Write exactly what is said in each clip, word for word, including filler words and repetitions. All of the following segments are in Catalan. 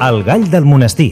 El gall del monestir.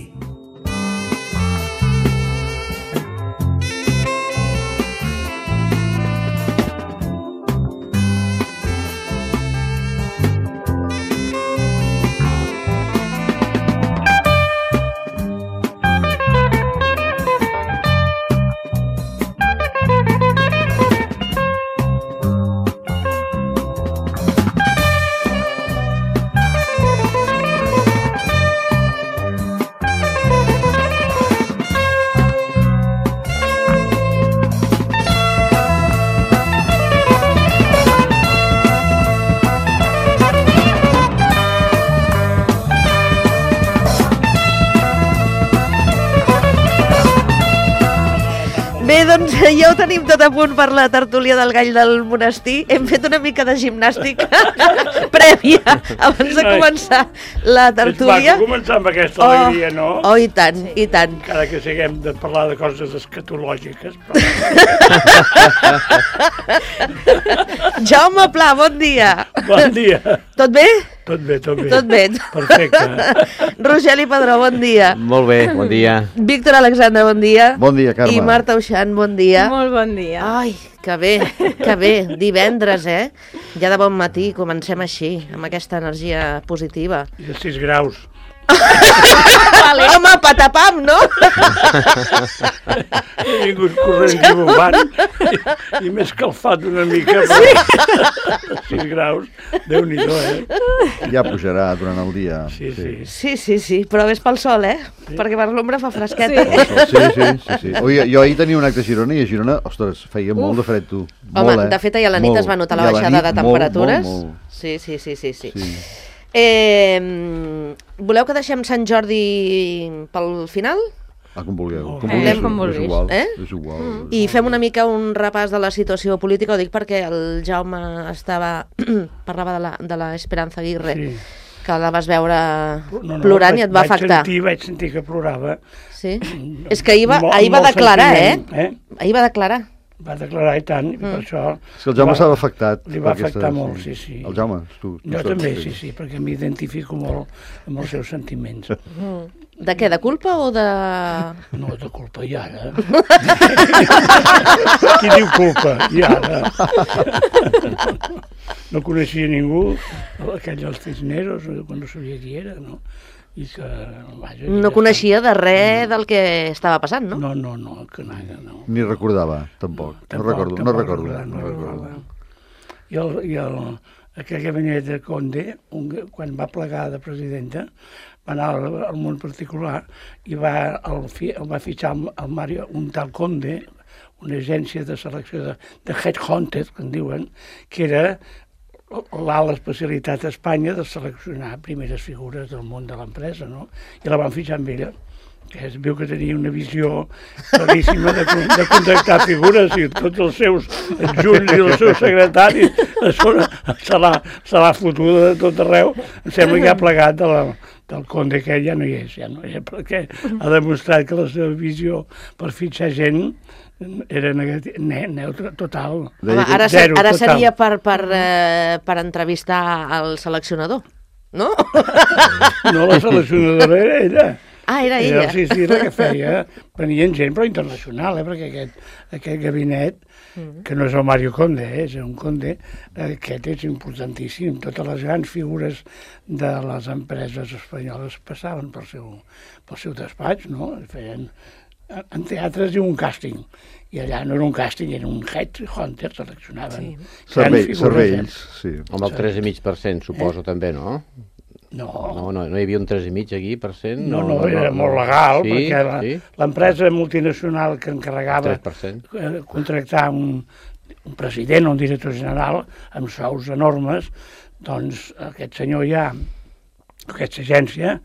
Bé, doncs ja ho tenim tot a punt per la tertúlia del gall del monestir. Hem fet una mica de gimnàstica prèvia abans de començar la tertúlia. És maco començar amb aquesta alegria, no? Oh, i tant, sí. i tant. Encara que siguem de parlar de coses escatològiques. Però... Jaume Pla, bon dia. Bon dia. Tot bé? Tot bé, tot bé. Tot bé. Perfecte. Rogeli Padró, bon dia. Molt bé, bon dia. Víctor Alexandre, bon dia. Bon dia, Carme. I Marta Uixant, bon dia. Molt bon dia. Ai, que bé, que bé. Divendres, eh? Ja de bon matí, comencem així, amb aquesta energia positiva. I de sis graus. Vale. Home, patapam, no? He vingut corrent i bombant i, i m'he escalfat una mica. Sí. sis graus, Déu-n'hi-do, eh? Ja pujarà durant el dia. Sí, sí. Sí, sí, sí, però ves pel sol, eh? Sí. Perquè per l'ombra fa fresqueta. Sí, sí, sí. sí, sí. Oi, jo ahir tenia un acte a Girona i a Girona, ostres, feia Uf. molt de fred, tu. Home, molt, eh? de fet, ahir a la nit molt. es va notar la I baixada nit, de temperatures. Molt, molt, molt. Sí, sí, sí, sí, sí. sí. Eh, voleu que deixem Sant Jordi pel final? Ah, com vulgueu. Oh, Com eh, vulgueu. com vulguis. És igual. Eh? És igual. Mm. I fem una mica un repàs de la situació política, ho dic perquè el Jaume estava parlava de la, de la Esperanza Aguirre, sí. que la vas veure no, no, plorant vaig, i et va vaig afectar. Sentir, vaig sentir que plorava. Sí? És que ahir va, Mol, ahir va declarar, eh? eh? Ahir va declarar. Va declarar i tant, i per Mm. això... És que el Jaume s'ha afectat. Li va afectar aquesta, molt, sí, sí. El Jaume, tu. tu Jo saps, també, sí, sí, perquè m'identifico molt amb els seus sentiments. Mm. De què, de culpa o de... No, de culpa, i ara? Qui diu culpa? I ara? No coneixia ningú, aquell dels Cisneros, quan no sabia qui era, no? I que, vaja, No ja coneixia de res del que estava passant, no? No, no, no, que nada, no. Ni recordava, tampoc. No, Tampoc, recordo, no tampoc recordo. recordar, No no recordo. recordar. I, el, i el, aquell gabinet de Conde, un, quan va plegar de presidenta, va anar al, al món particular i va, el, el va fitxar el, el Mario, un tal Conde, una agència de selecció de, de headhunter, que en diuen, que era l'alt especialitat a Espanya de seleccionar primeres figures del món de l'empresa, no? I la van fitxar amb ella, que es veu que tenia una visió claríssima de, de contactar figures i tots els seus adjunts i els seus secretaris se l'ha fotuda de tot arreu. Em sembla que ha plegat de la, del Conde, que ja no hi és, ja no hi és, perquè ha demostrat que la seva visió per fitxar gent era negatiu, ne, neutre, total. Home, ara, Zero, ara total. seria per, per, eh, per entrevistar el seleccionador, no? No, la seleccionadora era ella. Ah, era Era, ella. sí, sí, la que feia. Venien gent, però internacional, eh, perquè aquest, aquest gabinet, que no és el Mario Conde, eh, és un Conde, aquest és importantíssim. Totes les grans figures de les empreses espanyoles passaven pel seu, pel seu despatx, no? Feien en teatres i un càsting. I allà no era un càsting, era un headhunter, seleccionaven. Sí. Cervell, cervells, sí. Amb el tres coma cinc per cent, suposo, eh? també, no? No. No, no, no hi havia un tres coma cinc aquí per cent? No, no, no, era no, molt legal, sí, perquè l'empresa sí? multinacional que encarregava tres per cent. contractar un, un president o un director general amb sous enormes, doncs aquest senyor ja, aquesta agència,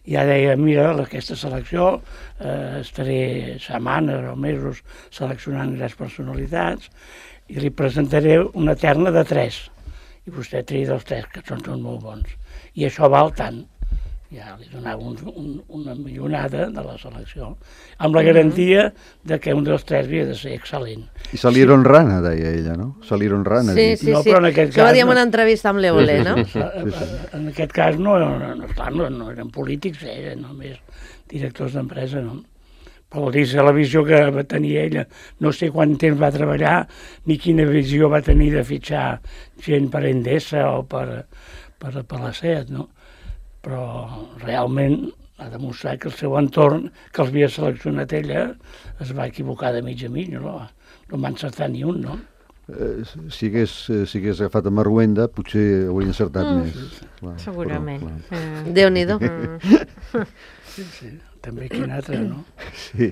ja deia, mira, aquesta selecció, eh, estaré setmanes o mesos seleccionant grans personalitats i li presentaré una terna de tres. I vostè tria dels tres, que són, són molt bons. I això val tant. ja li donava un, un, una millonada de la selecció, amb la garantia de que un dels tres havia de ser excel·lent. I salieron rana, deia ella, no? Salieron rana. Sí, dit. sí, No, sí. però en aquest Això va cas dir en no. una entrevista amb l'Eole, no? En aquest cas no, no, no, clar, no, no eren polítics, eren només directors d'empresa, no? Però vol dir, la visió que va tenir ella, no sé quant temps va treballar, ni quina visió va tenir de fitxar gent per Endesa o per, per, per la SEAT, no? Però realment ha demostrat que el seu entorn, que els havia seleccionat ella, es va equivocar de mig a mig, no? No va encertar ni un, no? Eh, si, hagués, eh, si hagués agafat a Marruenda, potser hauria encertat Mm. més. Clar, Segurament. Però, clar. Eh, Déu-n'hi-do. mm. Sí, sí. També quin altre, no? Sí.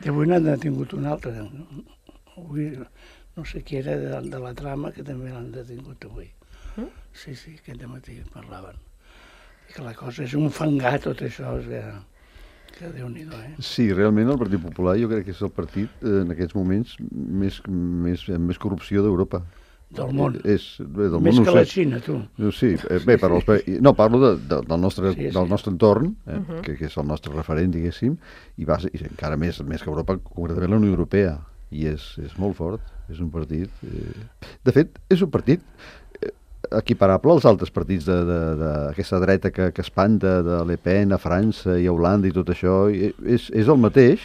I avui n'han detingut un altre. No? Avui, no sé qui era de, de la trama, que també l'han detingut avui. Mm? Sí, sí, aquest matí parlaven. I que la cosa és un fangar, tot això, és que, que Déu-n'hi-do, eh? Sí, realment el Partit Popular jo crec que és el partit eh, en aquests moments més, més, amb més corrupció d'Europa. Del món. Eh, És, bé, del Més món, que no la sé. Xina, tu. No, sí, eh, bé, per als, pa- no, parlo de, de, del, nostre, Sí, sí. del nostre entorn, eh, uh -huh. que, que és el nostre referent, diguéssim, i, va, i encara més, més que Europa, concretament la Unió Europea, i és, és molt fort, és un partit... Eh... De fet, és un partit eh, equiparable als altres partits d'aquesta dreta que, que espanta, de Le Pen a França i a Holanda i tot això, i és, és el mateix,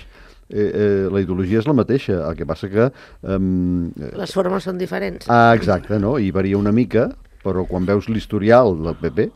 eh, eh, la ideologia és la mateixa, el que passa que... Eh, Les formes són diferents. Ah, exacte, no? I varia una mica, però quan veus l'historial del P P,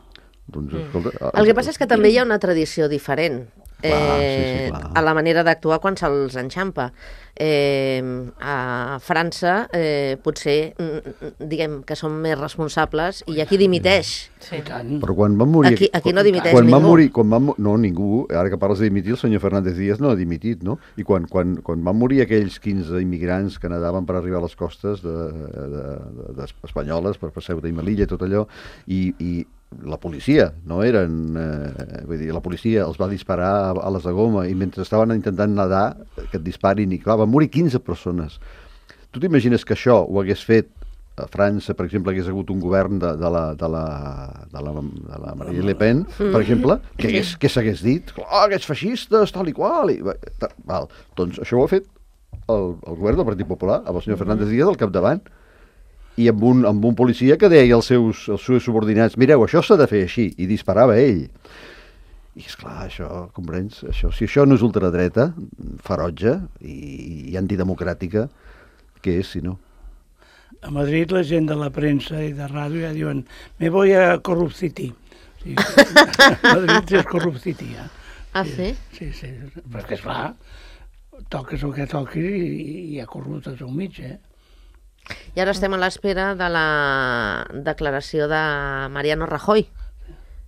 doncs, escolta... El que passa és que també hi ha una tradició diferent. Clar, sí, sí, eh, clar. a la manera d'actuar quan se'ls enxampa. Eh, a França eh, potser mm, diguem que són més responsables i aquí dimiteix. Sí. I tant. Però quan van morir... Aquí, aquí no dimiteix quan ningú. van morir, quan van, mo- no, ningú, ara que parles de dimitir, el senyor Fernández Díaz no ha dimitit, no? I quan, quan, quan van morir aquells quinze immigrants que nadaven per arribar a les costes de, de, de, de espanyoles, per, per Ceuta i Melilla i tot allò, i, i la policia, no eren... Eh, vull dir, la policia els va disparar a, a les de goma i mentre estaven intentant nedar, que et disparin, i clar, van morir quinze persones. Tu t'imagines que això ho hagués fet a França, per exemple, hagués hagut un govern de, de, la, de, la, de, la, de la Marine Le Pen, per exemple, que, hagués, que s'hagués dit, oh, aquests feixistes, tal i qual, i, ta, val. Doncs això ho ha fet el, el govern del Partit Popular, amb el senyor Fernández Díaz al capdavant, i amb un, amb un policia que deia als seus, als seus subordinats, mireu, això s'ha de fer així, i disparava ell. I esclar, això, comprens? Això, si això no és ultradreta, ferotge i, i antidemocràtica, què és, si no? A Madrid la gent de la premsa i de ràdio ja diuen me voy a Corrupcity. Sí, Madrid és Corrupcity, ja. Ah, sí? Sí, sí, perquè esclar, toques el que toquis i, i hi ha corruptes al mig, eh? I ara estem a l'espera de la declaració de Mariano Rajoy,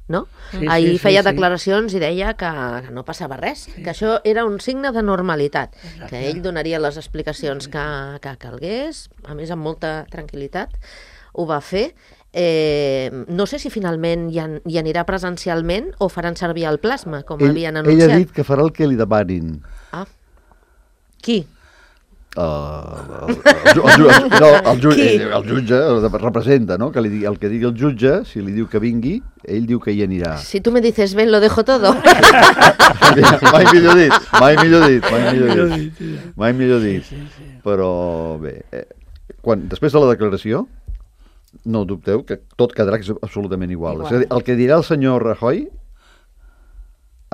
no? Sí, Ahir sí, sí, feia sí. declaracions i deia que, que no passava res, que això era un signe de normalitat, Exacte. que ell donaria les explicacions que, que calgués, a més amb molta tranquil·litat, ho va fer. Eh, no sé si finalment hi, an, hi anirà presencialment o faran servir el plasma, com Ell, havien ell anunciat. ha dit que farà el que li demanin. Ah. Qui? Uh, el, el, el, el, no, el, ju, Qui? el, el jutge el representa, no? Que li, digui- el que digui el jutge, si li diu que vingui, ell diu que hi anirà. Si tu me dices ven, lo dejo todo. Mai millor dit, mai millor dit, mai millor Millor dit. dit, sí. Mai millor dit. Sí, sí. Però bé, eh, quan, després de la declaració, no dubteu que tot quedarà ex- absolutament igual. Igual. És a dir, el que dirà el senyor Rajoy,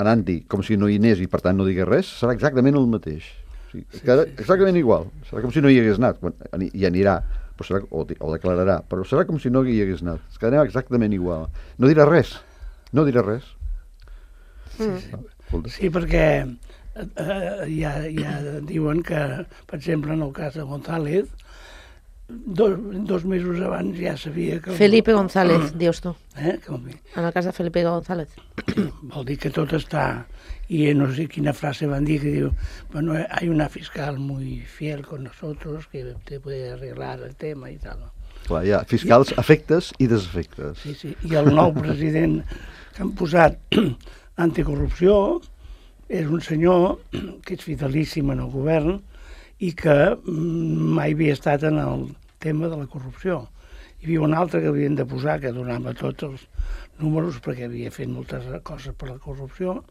anant-hi com si no hi anés i per tant no digués res, serà exactament el mateix. O sigui, quedarà exactament igual. Serà com si no hi hagués anat. Quan, ani- hi anirà, però serà, o, di- o declararà, però serà com si no hi hagués anat. Es quedarà exactament igual. No dirà res. No dirà res. Mm. Sí, perquè eh, eh, ja, ja diuen que, per exemple, en el cas de González, dos, dos mesos abans ja sabia que... el- Felipe González, dius tu. Eh? Com, En el cas de Felipe González. vol dir que tot està... I no sé quina frase van dir que diu, bueno, hay una fiscal muy fiel con nosotros que te puede arreglar el tema i tal. Clar, hi ha fiscals, efectes i desefectes. Sí, sí. I el nou president que han posat anticorrupció és un senyor que és fidelíssim en el govern i que mm, mai havia estat en el tema de la corrupció. hi havia un altre que havien de posar, que donava tots els números, perquè havia fet moltes coses per la corrupció,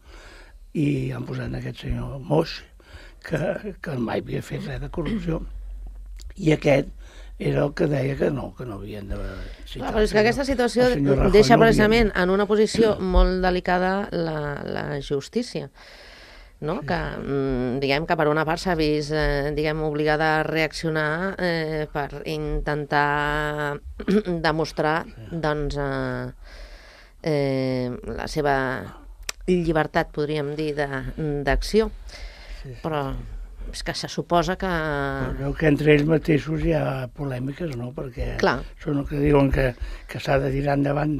i han posat aquest senyor Moix, que, que mai havia fet res de corrupció, i aquest era el que deia que no, que no havien de citar. Clar, però és que aquesta situació Rajoy deixa no precisament havien... en una posició molt delicada la, la justícia, no? Sí. Que, diguem que per una part s'ha vist eh, diguem, obligada a reaccionar eh, per intentar demostrar doncs, eh, eh, la seva llibertat, podríem dir, d'acció. Sí, sí. Però és que se suposa que... Però veu que entre ells mateixos hi ha polèmiques, no? Perquè Clar. Són els que diuen que, que s'ha de tirar endavant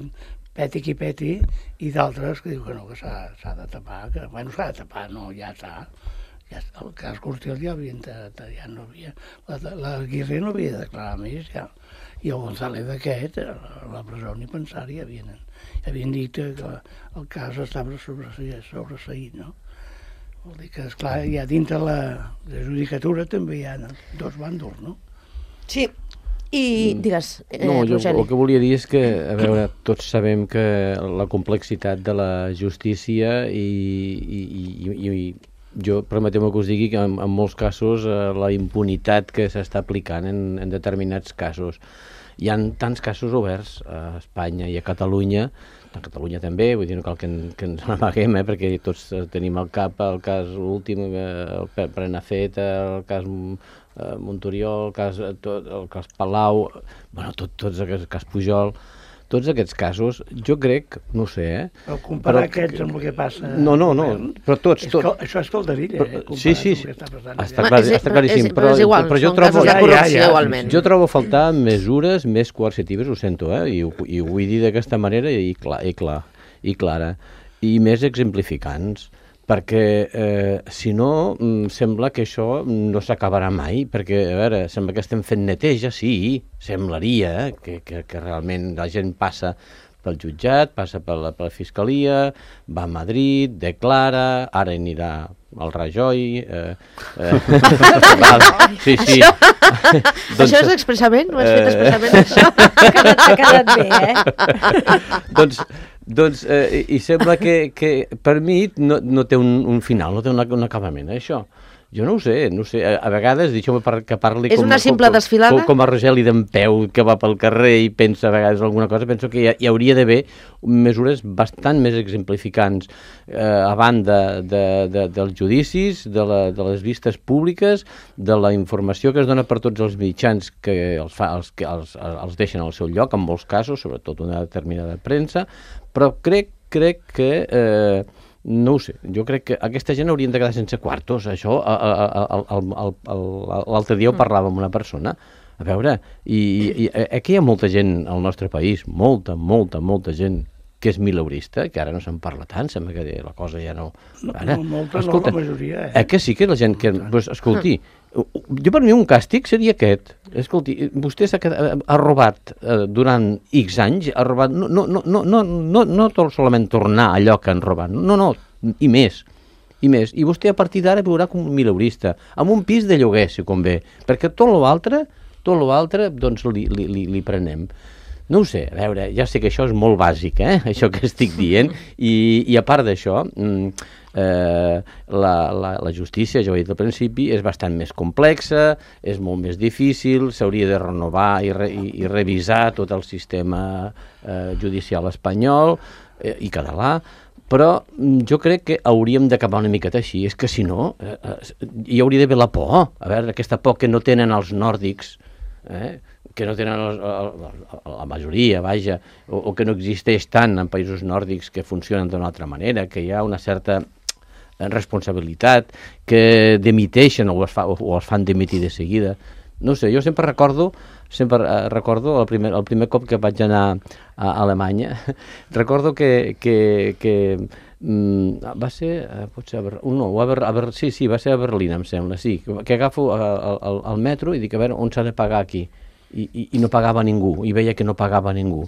peti qui peti, i d'altres que diuen que no, que s'ha de tapar, que bueno, s'ha de tapar, no, ja està. Ja està. El cas Cortiel ja havia, ja no havia, la, la Aguirre no havia de declarar més, ja. I el González d'aquest, a la presó ni pensar-hi, havien, havien dit que el cas estava sobreseït, no? Vol dir que, esclar, ja dintre la, la judicatura també hi ha dos bàndols, no? Sí. I digues, eh, no, jo Rogeli. el que volia dir és que, a veure, tots sabem que la complexitat de la justícia i, i, i, i jo, permeteu-me que us digui que en, en molts casos eh, la impunitat que s'està aplicant en, en determinats casos. Hi ha tants casos oberts a Espanya i a Catalunya, a Catalunya també, vull dir, no cal que, en, que ens n'amaguem, eh, perquè tots tenim al cap el cas últim, el Prenafeta, el cas eh, Montoriol, el cas, tot, el cas Palau, bueno, tot, tots aquests, el cas Pujol, tots aquests casos, jo crec, no sé, eh? Però comparar però, aquests amb el que passa... No, no, no, però tots... És tot... que, això és calderilla, eh? Sí, sí, sí. Està, està, clar, està claríssim, és, però, és igual, però jo són trobo... casos de corrupció, ja, ja, igualment. Jo trobo a faltar mesures més coercitives, ho sento, eh? I, ho, i ho vull dir d'aquesta manera i, clar, i, clar, i clara, i més exemplificants, perquè eh, si no sembla que això no s'acabarà mai, perquè a veure, sembla que estem fent neteja, sí, semblaria eh, que, que, que realment la gent passa pel jutjat, passa per la, per la fiscalia, va a Madrid, declara, ara anirà al Rajoy... Eh, eh, val, sí, sí. Això, doncs, això és expressament? Ho has fet expressament, això? T'ha quedat bé, eh? doncs, doncs eh, i sembla que, que per mi no, no té un, un final, no té una, un acabament, eh, això. Jo no ho sé, no ho sé. A, a vegades, deixeu-me par que parli és com, una simple com, desfilada? Com, com a Rogeli d'en Peu, que va pel carrer i pensa a vegades alguna cosa, penso que hi, ha, hi hauria d'haver mesures bastant més exemplificants eh, a banda de, de, dels judicis, de, la, de les vistes públiques, de la informació que es dona per tots els mitjans que els, fa, els, que els, els deixen al seu lloc, en molts casos, sobretot una determinada premsa, però crec, crec que... Eh, no ho sé, jo crec que aquesta gent haurien de quedar sense quartos, això l'altre dia ho parlava amb una persona, a veure, i, i aquí hi ha molta gent al nostre país, molta, molta, molta gent que és mileurista, que ara no se'n parla tant, sembla que la cosa ja no... Ara, no, molta escolta, no, la majoria, eh? Eh que sí que la gent que... Pues, escolti, jo per mi un càstig seria aquest. Escolti, vostè s'ha quedat, ha robat eh, durant X anys, ha robat, no, no, no, no, no, no, no tot solament tornar allò que han robat, no, no, i més, i més. I vostè a partir d'ara viurà com un mileurista, amb un pis de lloguer, si convé, perquè tot l'altre, tot l'altre, doncs li, li, li, li prenem. No ho sé, a veure, ja sé que això és molt bàsic, eh, això que estic dient, i, i a part d'això, eh, la, la, la justícia, ja ho he dit al principi, és bastant més complexa, és molt més difícil, s'hauria de renovar i, re, i, i revisar tot el sistema eh, judicial espanyol eh, i català, però jo crec que hauríem d'acabar una miqueta així, és que si no, eh, hi hauria d'haver la por, a veure, aquesta por que no tenen els nòrdics, eh, que no tenen el, el, la majoria, vaja, o, o que no existeix tant en països nòrdics que funcionen d'una altra manera, que hi ha una certa responsabilitat, que demiteixen o es, fa, o es fan demitir de seguida. No sé, jo sempre recordo, sempre eh, recordo el primer, el primer cop que vaig anar a Alemanya, recordo que, que, que mm, va ser, eh, potser a Berlín, no, a Ber, a Ber, sí, sí, va ser a Berlín, em sembla, sí, que agafo el, el metro i dic, a veure, on s'ha de pagar aquí? I, i, i no pagava ningú, i veia que no pagava ningú.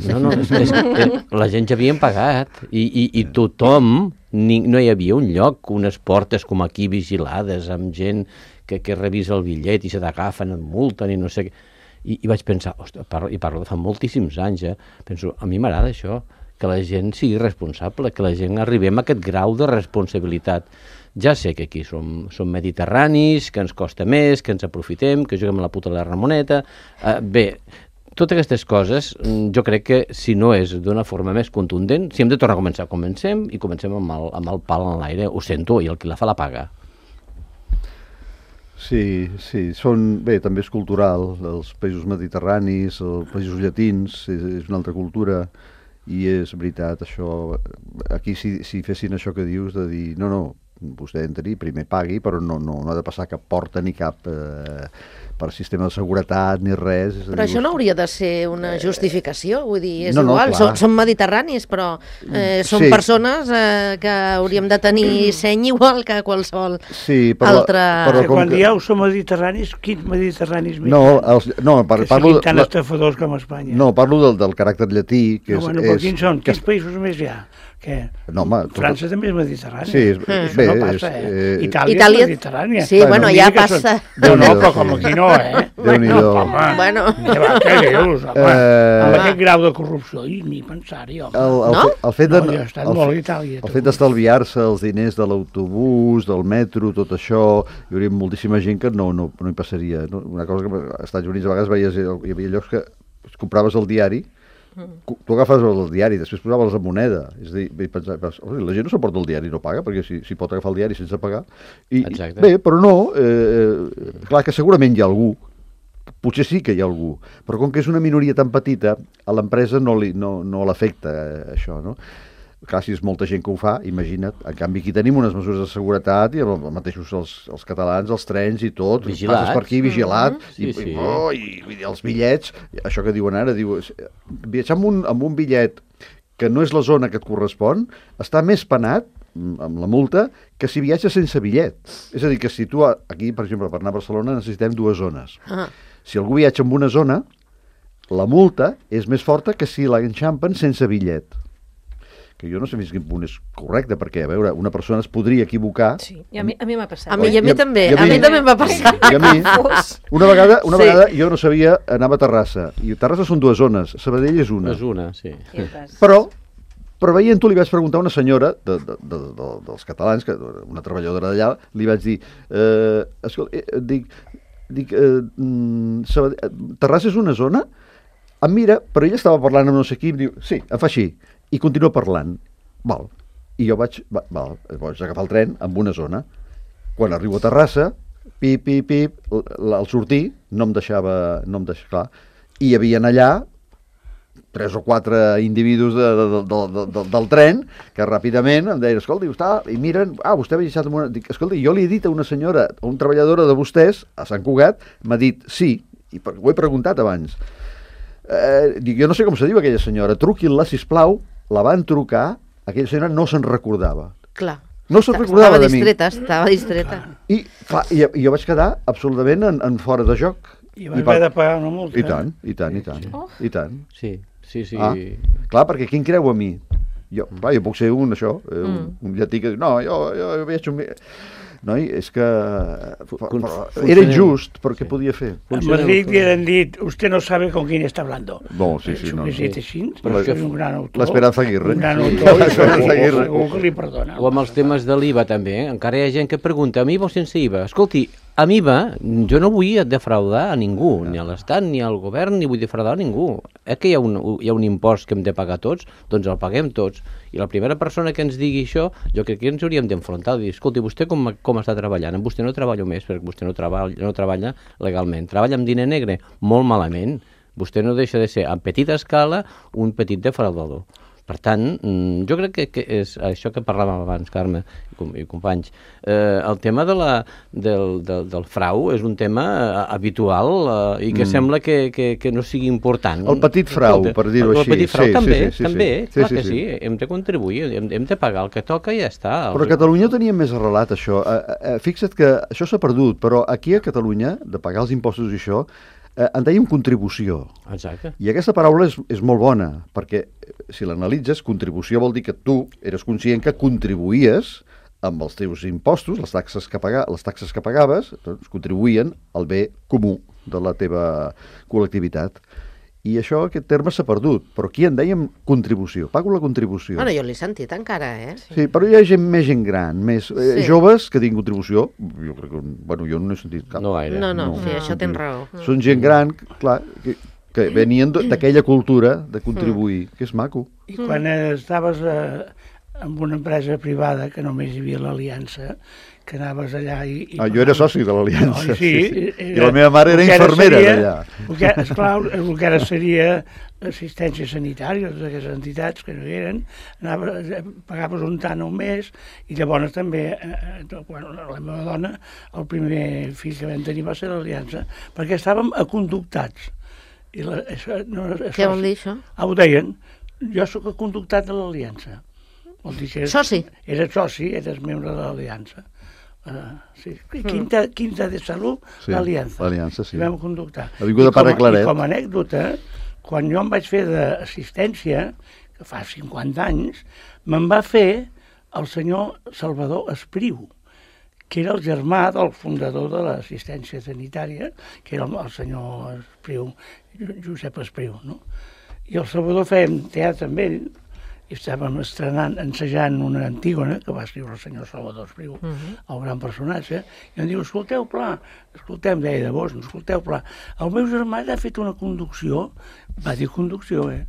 No, no, és, és, és, la gent ja havien pagat, i, i, i tothom, ni, no hi havia un lloc, unes portes com aquí vigilades, amb gent que, que revisa el bitllet i se t'agafen, et multen i no sé què. I, i vaig pensar, ostres, parlo, i parlo de fa moltíssims anys, eh? Penso, a mi m'agrada això, que la gent sigui responsable, que la gent arribem a aquest grau de responsabilitat. Ja sé que aquí som, som mediterranis, que ens costa més, que ens aprofitem, que juguem a la puta de la Ramoneta... Eh, bé, totes aquestes coses, jo crec que si no és d'una forma més contundent, si hem de tornar a començar, comencem i comencem amb el, amb el pal en l'aire, ho sento, i el qui la fa la paga. Sí, sí, són, bé, també és cultural, els països mediterranis, els països llatins, és, és una altra cultura, i és veritat, això, aquí si, si fessin això que dius, de dir, no, no, vostè entri, primer pagui, però no, no, no ha de passar cap porta ni cap eh, per sistema de seguretat ni res. És però dir, això no hauria de ser una justificació, vull dir, és no, no, igual, clar. som, som mediterranis, però eh, som Sí. persones eh, que hauríem de tenir seny igual que qualsevol sí, però, altra... però Que com quan que- dieu som mediterranis, quins mediterranis més? No, els, no par, que parlo, siguin tan la, estafadors com Espanya. no, parlo del, del caràcter llatí, que no, és... bueno, però és quins són? que Quins països més hi ha? Que No, home, tot- França també és mediterrània. Sí, és- Això bé, no és- passa, eh? eh, Itàlia, Itàlia- és mediterrània. Sí, bueno, no ja digui que passa. Són... No, no, Déu-n'hi-do, però com sí. aquí no, eh? Déu-n'hi-do. Home, Bueno. què, va, què dius, home? Eh, Amb aquest grau de corrupció, i ni pensar-hi, home. El, el, No? fe- el fet de, No, jo he estat el, molt a Itàlia, el tu. fet d'estalviar-se els diners de l'autobús, del metro, tot això, hi hauria moltíssima gent que no, no, no hi passaria. No? Una cosa que als Estats Units a vegades veies, hi havia llocs que compraves el diari, cu- tu agafes el diari, després posaves la moneda. És a dir, i pensaves, "Hosti, la gent no s'emporta el diari i no paga, perquè si, si pot agafar el diari sense pagar. I, Exacte. bé, però no, eh, clar que segurament hi ha algú, potser sí que hi ha algú, però com que és una minoria tan petita, a l'empresa no, li, no, no l'afecta eh, això, no? Clar, si és molta gent que ho fa, imagina't. En canvi, aquí tenim unes mesures de seguretat i els mateixos els, els catalans, els trens i tot. Vigilats. Passes per aquí, vigilat. Mm-hmm. Sí, i, sí. I, oh, i, i els bitllets, això que diuen ara, diu, viatjar amb un, amb un bitllet que no és la zona que et correspon, està més penat mm, amb la multa que si viatges sense bitllet. És a dir, que si tu, a- aquí, per exemple, per anar a Barcelona necessitem dues zones. Ah, Si algú viatja en una zona, la multa és més forta que si l'enxampen sense bitllet. Que jo no sé fins quin punt és correcte, perquè, a veure, una persona es podria equivocar. Sí, i a mi, a mi m'ha passat. a mi, i a I mi a- també, i a a mi mi- també em va passar. I a mi, una vegada, una Sí. vegada jo no sabia, anava a Terrassa, i Terrassa són dues zones, Sabadell és una. És una, sí. I vas- Però, però veient-ho li vaig preguntar a una senyora de, de, de, de, dels catalans, que, una treballadora d'allà, li vaig dir, eh, escolta, eh, dic, dic eh, mm, Sabadell, Terrassa és una zona? Em mira, però ella estava parlant amb no sé qui, em diu, sí, em fa així, i continua parlant. Val. I jo vaig, va, val, vaig agafar el tren amb una zona. Quan arribo a Terrassa, pip, pip, pip, l- al sortir no em deixava, no em deixava, clar, i hi havia allà tres o quatre individus de, de, de, de, de, del tren que ràpidament em deien, escolta, està, i miren, ah, vostè ha viatjat amb una... Dic, escolta, jo li he dit a una senyora, a una treballadora de vostès, a Sant Cugat, m'ha dit sí, i per, ho he preguntat abans. Eh, dic, jo no sé com se diu aquella senyora, truquin-la, sisplau, la van trucar, aquella senyora no se'n recordava. Clar. No se'n Estava recordava de mi. distreta, estava distreta. I, clar, i, i jo vaig quedar absolutament en, en fora de joc. I vas per- haver de pagar una multa. I tant, i tant, i tant, i tant. Sí, sí, sí. Ah, clar, perquè qui em creu a mi? Jo, clar, jo puc ser un, això, eh, un, Mm. un llatí que diu, no, jo, jo veig un... Noi, és que... Però, Fun- però funciona- era injust, perquè sí. podia fer. En Funciona Madrid molt. li han dit, usted no sabe con quién está hablando. No, sí, sí, no, no. Suficient així, Però però és que és un gran autor. l'Esperanza Aguirre. Un gran Sí. autor, i L'Esperanza segur, Aguirre. segur que li perdona. O amb els temes de l'I V A també, eh? Encara hi ha gent que pregunta, amb I V A o sense I V A? Escolti, amb I V A jo no vull defraudar a ningú, ni a l'Estat, ni al govern, ni vull defraudar a ningú. Eh que hi ha, un, hi ha un impost que hem de pagar tots? Doncs el paguem tots. I la primera persona que ens digui això, jo crec que ens hauríem d'enfrontar, dir, escolti, vostè com, com està treballant? Amb vostè no treballo més, perquè vostè no treballa, no treballa legalment. Treballa amb diner negre? Molt malament. Vostè no deixa de ser, a petita escala, un petit defraudador. Per tant, mm, jo crec que, que és això que parlàvem abans, Carme i, com, i companys. Eh, el tema de la, del, del, del frau és un tema eh, habitual eh, i que mm. sembla que, que, que no sigui important. El petit frau, Escolta, per dir-ho el, així. El petit frau Sí, també, sí, sí, sí, també, sí. clar Sí, sí, que sí. sí. Hem de contribuir, hem, hem de pagar el que toca i ja està. Però a Catalunya ho teníem més arrelat, això. Eh, eh, fixa't que això s'ha perdut, però aquí a Catalunya, de pagar els impostos i això, eh, en dèiem contribució. Exacte. I aquesta paraula és, és molt bona, perquè eh, si l'analitzes, contribució vol dir que tu eres conscient que contribuïes amb els teus impostos, les taxes que, paga, les taxes que pagaves, doncs, contribuïen al bé comú de la teva col·lectivitat. I això, aquest terme s'ha perdut, però aquí en dèiem contribució, pago la contribució. Bueno, jo l'he sentit encara, eh? Sí, però hi ha gent més gent gran, més eh, Sí. joves que tinguin contribució, jo crec que, bueno, jo no he sentit cap. No gaire. No, no, No. sí, això tens raó. Són gent gran, clar, que, que venien d- d'aquella cultura de contribuir, que és maco. I quan estaves eh, en una empresa privada, que només hi havia l'Aliança, que anaves allà i... i Ah, jo era soci de l'Aliança. No, sí, I la meva mare era el que ara infermera seria- d'allà. el que, esclar, el que ara seria assistència sanitària, totes aquestes entitats que no hi eren, anaves, eh, pagaves un tant al mes, i llavors també, eh, eh, bueno, la meva dona, el primer fill que vam tenir va ser l'Aliança, perquè estàvem aconductats. I la, això, no, això, Què vol dir, això? Ah, ho deien. Jo sóc aconductat de l'Aliança. Vol dir que eres, Soci. Eres soci, eres membre de l'Aliança. Uh, sí. Quinta, quinta de Salut, Sí, l'Aliança. l'Aliança, sí. I vam conductar. Avinguda I com a- Pare Claret. I com a anècdota, quan jo em vaig fer d'assistència, que fa cinquanta anys, me'n va fer el senyor Salvador Espriu, que era el germà del fundador de l'assistència sanitària, que era el, el senyor Espriu, Josep Espriu, no? I el Salvador fèiem teatre amb ell, i estàvem estrenant, ensejant una Antígona, que va escriure el senyor Salvador Espriu, uh -huh. el gran personatge, i em diu, escolteu, pla, escoltem, deia de vos, escolteu, pla, el meu germà ha fet una conducció, va dir conducció, eh?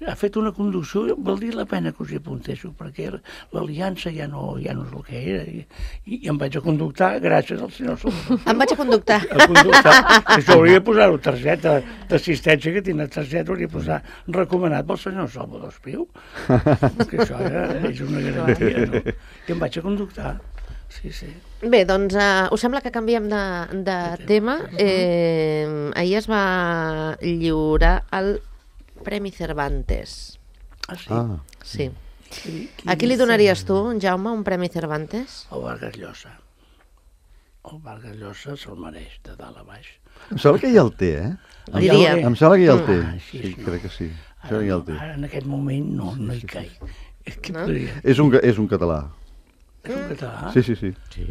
Ha fet una conducció, valdria la pena que us hi apunteixo, perquè l'Aliança ja no, ja no és el que era, i, i em vaig a conductar gràcies al senyor Salvador. Em vaig a conductar. A conductar. Això hauria de posar-ho targeta d'assistència, que tinc la targeta, hauria de posar recomanat pel senyor Salvador Espriu. Que això era, és una garantia, no? I em vaig a conductar. Sí, sí. Bé, doncs uh, us sembla que canviem de, de tema. Eh, ahir es va lliurar el Premi Cervantes. Ah, sí? Ah, Sí. Qui- qui A qui li és? donaries tu, Jaume, un Premi Cervantes? El Vargas Llosa. El Vargas Llosa se'l mereix, de dalt a baix. em sembla que ja el té, eh? Ah, Diria. ja ho té. Em sembla que ja el Mm. té. Ah, així Sí, no. crec que sí. Em Ara, sembla que ja no, el té. ara en aquest moment no, no hi caig. Què No? podria? És un, és un català. És un català, Sí, sí, sí. Sí.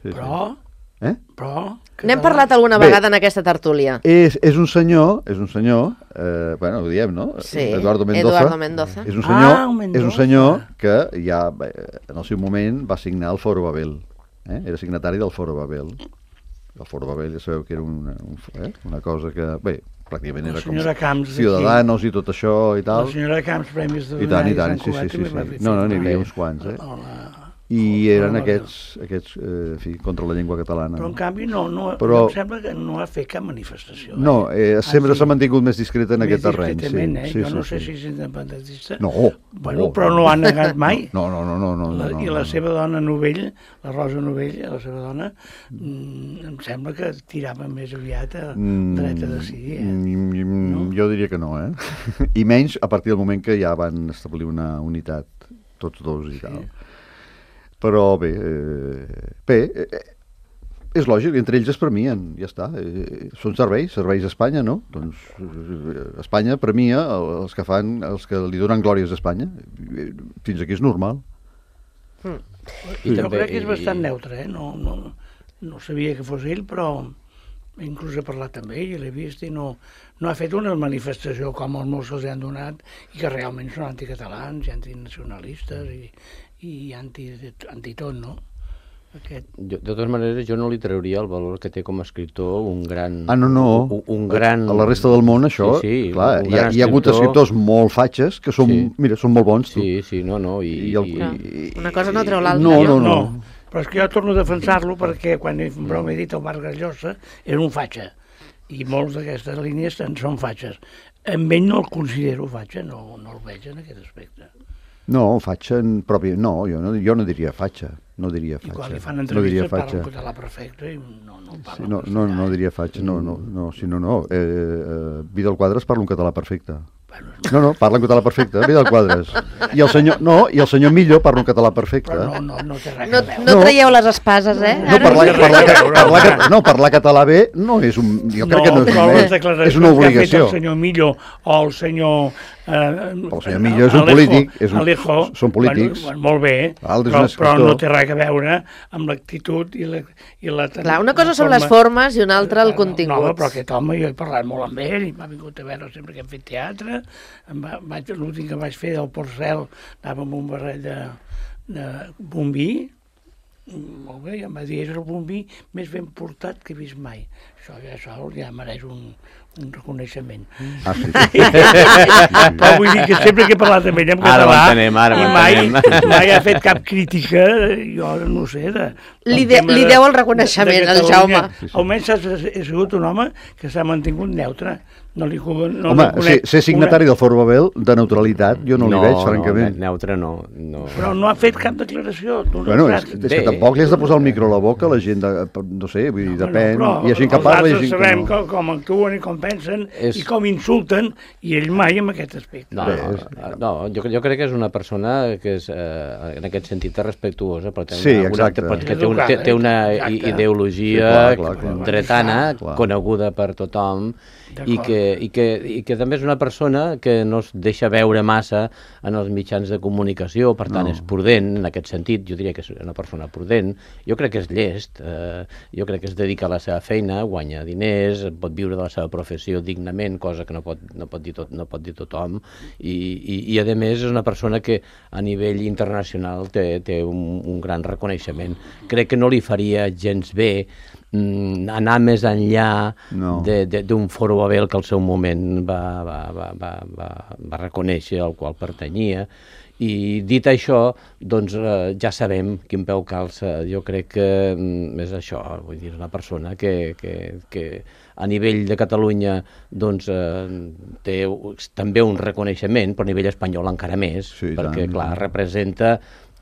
sí, però... Eh? però N'hem català- parlat alguna Bé. vegada en aquesta tertúlia. És, és un senyor, és un senyor, eh, bueno, ho diem, no? Sí, Eduardo Mendoza. Eduardo Mendoza. És un senyor, Ah, un Mendoza. és un senyor que ja eh, en el seu moment va signar el Foro Babel. Eh? Era signatari del Foro Babel. El Foro Babel ja sabeu que era una, un, eh? una cosa que, bé, pràcticament La era com senyora Camps d'aquí. Ciudadanos i tot això i La tal. senyora Camps, Premis de I tant, i tant, sí, sí, sí, sí. No, no, n'hi havia uns quants, eh? I eren aquests, aquests eh, en fi, contra la llengua catalana. Però en canvi no, no, Però- em sembla que no ha fet cap manifestació. No, eh, sempre Ah, sí. s'ha mantingut més discreta en Més aquest terreny. discretament, eh? Sí, Jo sí, no sí. sé si és independentista. No. Bueno, no, però no ho ha negat mai. No, no, no, no. no, La, no, I no, la no. seva dona Novell, la Rosa Novell, la seva dona, mm, em sembla que tirava més aviat a Mm, dret a decidir. Eh? mm, No? Jo diria que no, eh? I menys a partir del moment que ja van establir una unitat, tots dos i Sí. tal. Però bé, eh, bé, eh, és lògic, entre ells es premien, ja està. Eh, són serveis, serveis a Espanya, no? Doncs eh, Espanya premia els que fan, els que li donen glòries a Espanya. Eh, Fins aquí és normal. I Jo també- crec que és i- bastant neutre, eh? No, no, no sabia que fos ell, però inclús he parlat amb ell i l'he vist i no, no ha fet una manifestació com els molts que els han donat i que realment són anticatalans i antinacionalistes i, i anti, antitot, no? Aquest... Jo, de totes maneres, jo no li trauria el valor que té com a escriptor un gran... Ah, no, no. Un, un gran... A la resta del món, això, sí, sí, clar, un hi ha, gran hi ha hagut escriptors molt fatxes que són, Sí. mira, són molt bons, tu. Sí, sí, no, no. I, I el- i, Clar. i- Una cosa no treu l'altra. No, no? no, no. No, però és que jo torno a defensar-lo perquè quan he, broma he dit el Vargas Llosa era un fatxa i molts d'aquestes línies en són fatxes. Amb ell no el considero fatxa, no, no el veig en aquest aspecte. No, fatxa en propi... No, jo no, jo no diria fatxa. No diria I fatxa. quan li fan no diria entrevistes parla fatxa. en català perfecte i no, no parla Sí, no, en no, no castellà. diria fatxa, no, no, no, sí, no, no. Eh, eh, Vidal Quadras parla un català perfecte. Bueno, No, no, parla en català perfecte, Vidal Quadras. I el senyor, no, i el senyor Millo parla un català perfecte. però no, no, no té res No, a veure. no No. traieu les espases, eh? No, Ara- parlar, no té parlar, res a veure. parlar, no, parlar català bé no és un... Jo crec que no és però un les mèrit, declaracions és una que ha fet obligació. el senyor Millo o el senyor Però el senyor Millo és un polític. És un, Alejo, són polítics. Bueno, molt bé, però, però no té res a veure amb l'actitud i la... I la Clar, una cosa són les formes i una altra el contingut. No, però aquest home, jo he parlat molt amb ell, i m'ha vingut a veure sempre que hem fet teatre. L'últim que vaig fer del Porcel, anava amb un barret de, de bombí, molt bé, i em va dir, és el bombí més ben portat que he vist mai. Això ja sol ja mereix un, un reconeixement. Ah, sí, sí. Però vull dir que sempre que he parlat amb ell en català, ara m'entenem, ara i mai, mai ha fet cap crítica, jo no sé, de... Li, de, li deu el reconeixement, el Jaume. Sí, sí. Almenys ha, ha sigut un home que s'ha mantingut neutre. No li, no Home, li ser, ser signatari una... del Fort Babel de neutralitat, jo no, no li veig, francament. No, neutre no, no. Però no ha fet cap declaració. Tu no bueno, és, és que tampoc li has de posar el micro a la boca a la gent, de, no sé, vull dir, depèn. No, hi ha gent que parla i gent que no. Els sabem com, com actuen i com pensen és... i com insulten, i ell mai en aquest aspecte. No, no, no jo, jo crec que és una persona que és, eh, en aquest sentit, respectuosa, però té una, sí, exacte. una, que té, un, té, té una exacte. ideologia sí, clar, clar, clar, dretana, clar, clar. coneguda per tothom, i que, i, que, i que també és una persona que no es deixa veure massa en els mitjans de comunicació, per tant no. és prudent en aquest sentit, jo diria que és una persona prudent, jo crec que és llest, eh, jo crec que es dedica a la seva feina, guanya diners, pot viure de la seva professió dignament, cosa que no pot, no pot, dir, tot, no pot dir tothom, i, i, i a més és una persona que a nivell internacional té, té un, un gran reconeixement. Crec que no li faria gens bé anar més enllà no. d'un Foro Babel que al seu moment va, va, va, va, va, va reconèixer al qual pertanyia. I dit això, doncs eh, ja sabem quin peu calça. Jo crec que mm, és això, vull dir, és una persona que, que, que a nivell de Catalunya doncs, eh, té també un reconeixement, però a nivell espanyol encara més, sí, perquè, tant, clar, representa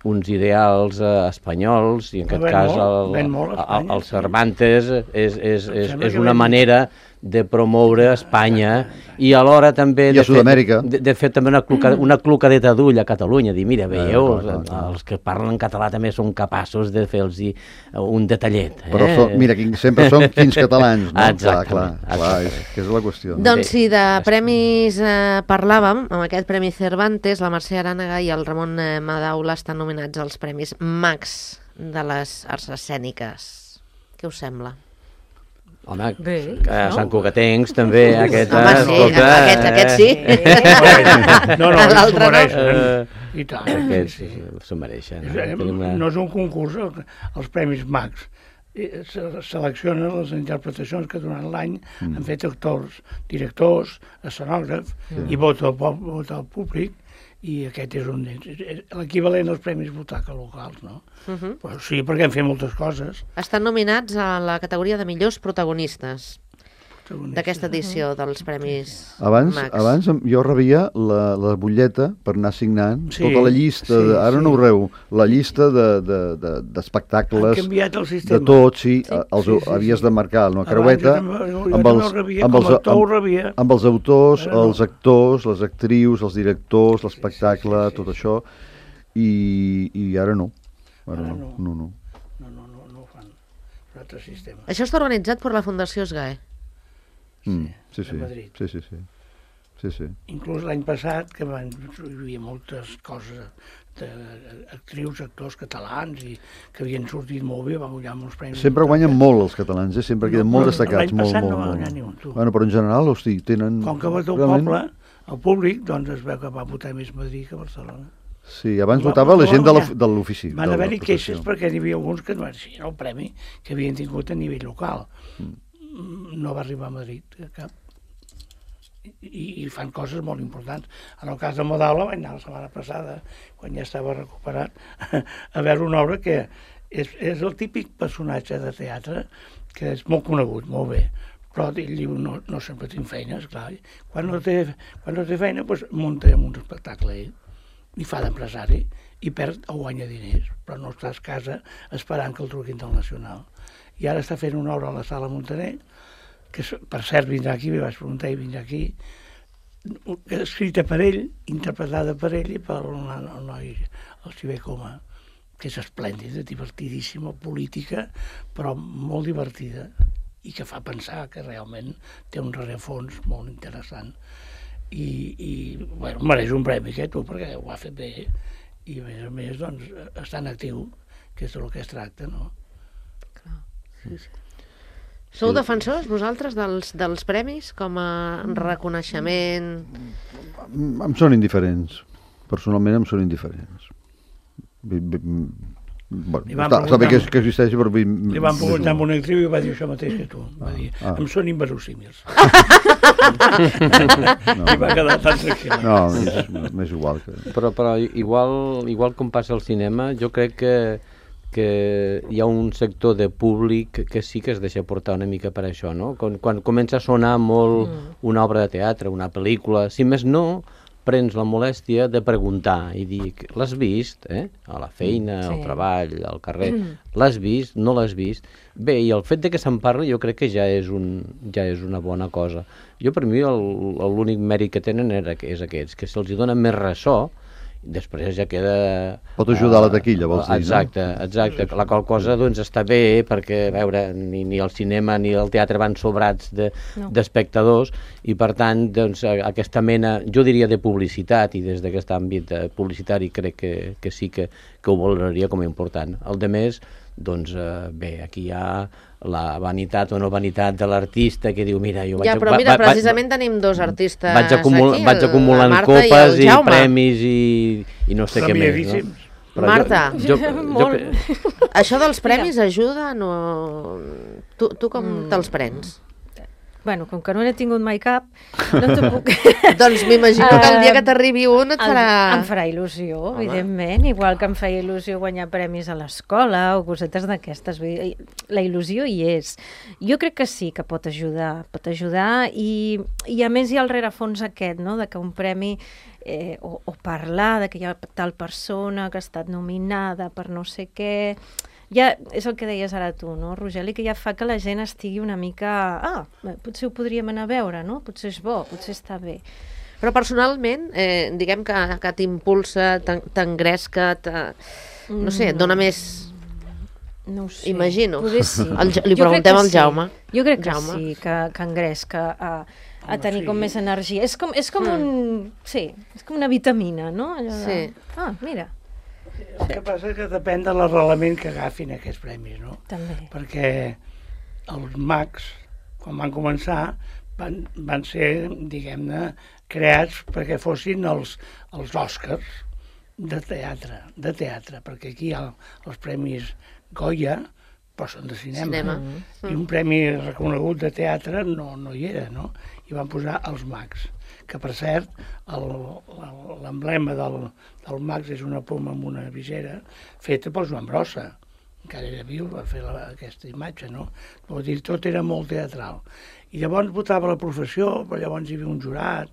uns ideals eh, espanyols, i en aquest ben cas molt, el, molt el, el Cervantes és, és, és, és una manera de promoure Espanya i alhora també I a Sud-amèrica de, de fer també una, cluca, una clucadeta d'ull a Catalunya, dir, mira, veieu, eh, clar, clar, clar. els que parlen en català també són capaços de fer-los un detallet. Eh? Però so, mira, sempre són quins catalans, no? Exactament. Clar, clar, clar, és, que és la qüestió. No? Doncs si de premis eh, parlàvem, amb aquest Premi Cervantes, la Mercè Arànega i el Ramon eh, Madaula estan nominats als Premis Max de les arts escèniques. Què us sembla? Home, bé, a Sant Cugatencs també, aquest... Home, sí, escolta, aquest, aquest sí. Eh, no, no, l'altre no. Uh, I tant. Aquests sí, s'ho mereixen. No? Una... no és un concurs, els Premis Max. Seleccionen les interpretacions que durant l'any mm. han fet actors, directors, escenògrafs, mm. i vota el, vota el públic, i aquest és un l'equivalent als Premis Butaca locals, no? Uh -huh. Però sí, perquè hem fet moltes coses. Estan nominats a la categoria de millors protagonistes d'aquesta edició dels Premis abans, Max. Abans jo rebia la, la butlleta per anar signant sí, tota la llista, sí, de, ara sí. no ho reu, la llista d'espectacles, de, de, de, de tot, sí, sí. Els, sí, sí, havies sí. de marcar una creueta amb els, amb, els, amb, amb els autors, no. els actors, les actrius, els directors, l'espectacle, sí, sí, sí, tot sí. això, i, i ara no. Ara, ara no. No, no. No, no, no, no ho fan. És un altre sistema. Això està organitzat per la Fundació SGAE. Mm, sí, sí, sí, sí, sí, sí, sí. Inclús l'any passat, que van, hi havia moltes coses d'actrius, actors catalans i que havien sortit molt bé, van guanyar molts premis. Sempre guanyen molt els catalans, eh? Sempre queden no, molt destacats. L'any passat molt, no va molt, guanyar ni un, tu. Bueno, però en general, hosti, tenen... Com que va tot el poble, el públic, doncs es veu que va votar més Madrid que Barcelona. Sí, abans va, votava la gent de l'ofici. Van haver-hi queixes perquè hi havia alguns que no era el premi que havien tingut a nivell local. Mm. No va arribar a Madrid cap. I, i fan coses molt importants. En el cas de Madaula vaig anar la setmana passada, quan ja estava recuperat, a veure una obra que és, és el típic personatge de teatre que és molt conegut, molt bé, però ell diu, no, no sempre tinc feina, esclar. Quan no té, quan no té feina, doncs munta un espectacle ell, i fa d'empresari, i perd o guanya diners, però no està a casa esperant que el truquin del Nacional. I ara està fent una obra a la Sala Montaner, que per cert vindrà aquí, m'hi vaig preguntar i vindrà aquí, escrita per ell, interpretada per ell i per el noi, el Xavier Coma, que és esplèndida, divertidíssima, política, però molt divertida, i que fa pensar que realment té un rerefons molt interessant. i, i bueno, mereix un premi aquest, perquè ho ha fet bé, i a més a més, doncs, està en actiu, que és el que es tracta, no? Clar. Sí, sí. Sou defensors, vosaltres, dels, dels premis, com a reconeixement? Em són indiferents. Personalment em són indiferents. Bueno, està, està bé que, que existeixi, però... Li van preguntar amb una actriu i va dir això mateix que tu. Va dir, ah. em són inverosímils. no. I va quedar tan tranquil. No, m'és igual. Que... Però, però igual, igual com passa al cinema, jo crec que que hi ha un sector de públic que sí que es deixa portar una mica per això, no? Quan, quan comença a sonar molt mm. una obra de teatre, una pel·lícula, si més no, prens la molèstia de preguntar i dir, l'has vist, eh? A la feina, sí. al treball, al carrer, mm. l'has vist, no l'has vist? Bé, i el fet de que se'n parli jo crec que ja és, un, ja és una bona cosa. Jo, per mi, l'únic mèrit que tenen era, és aquests, que se'ls dona més ressò, després ja queda... Pot ajudar a la taquilla, vols dir, exacte, no? Exacte, la qual cosa doncs està bé perquè, a veure, ni, ni el cinema ni el teatre van sobrats d'espectadors de, no. i per tant, doncs, aquesta mena, jo diria de publicitat, i des d'aquest àmbit publicitari crec que, que sí que, que ho valoraria com a important. El de més, doncs eh, bé, aquí hi ha la vanitat o no vanitat de l'artista que diu, mira, jo vaig... Ja, però mira, va, va, precisament va, tenim dos artistes vaig acumul, aquí, vaig acumulant copes i, i premis i, i no sé què més, no? Però Marta, jo, jo, jo, jo... això dels premis ajuda? No... Tu, tu com mm. te'ls prens? Bueno, com que no n'he tingut mai cap, no t'ho puc... Doncs m'imagino que el dia que t'arribi un et farà... Em farà il·lusió, home. Evidentment, igual que em feia il·lusió guanyar premis a l'escola o cosetes d'aquestes. La il·lusió hi és. Jo crec que sí que pot ajudar, pot ajudar i, i a més hi ha el rerefons aquest, no?, de que un premi eh, o, o parlar de que hi ha tal persona que ha estat nominada per no sé què... Ja és el que deies ara tu, no, Rogeli, que ja fa que la gent estigui una mica... Ah, potser ho podríem anar a veure, no? Potser és bo, potser està bé. Però personalment, eh, diguem que, que t'impulsa, t'engresca, no sé, et dona més... No ho sé. Imagino. Potser sí. El, li jo preguntem al Jaume. Sí. Jo crec que Jaume. sí, que, que engresca a, a tenir com més energia. És com, és com mm. un... Sí, és com una vitamina, no? Allò de... Sí. Ah, mira. El que passa és que depèn de l'arrelament que agafin aquests premis, no? També. Perquè els mags, quan van començar, van, van ser, diguem-ne, creats perquè fossin els, els Oscars de teatre, de teatre, perquè aquí hi ha els premis Goya, però són de cinema. cinema. I un premi reconegut de teatre no, no hi era, no? I van posar els mags, que per cert, l'emblema del, del Max és una poma amb una visera feta pel Joan Brossa, encara era viu, va fer la, aquesta imatge, no? Vull dir, tot era molt teatral. I llavors votava la professió, però llavors hi havia un jurat,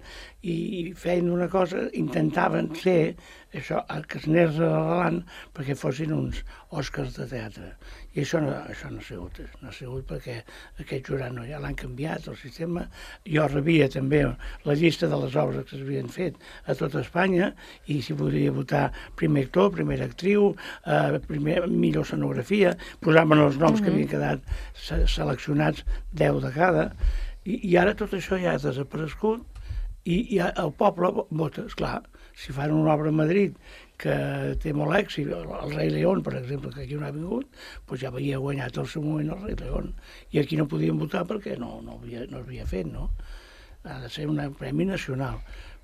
i feien una cosa, intentaven ser això, que es anés arrelant perquè fossin uns Oscars de teatre. I això no, això no ha sigut, no ha sigut perquè aquest jurat no, ja l'han canviat, el sistema. Jo rebia també la llista de les obres que s'havien fet a tota Espanya i s'hi podria votar primer actor, primera actriu, eh, primer, millor escenografia, posaven els noms uh-huh. que havien quedat se seleccionats, deu de cada, i, i ara tot això ja ha desaparegut i, i el poble vota, esclar, si fan una obra a Madrid que té molt èxit, el Rei León, per exemple, que aquí no ha vingut, doncs ja havia guanyat al seu moment el Rei León. I aquí no podien votar perquè no, no, havia, no havia fet, no? Ha de ser un premi nacional.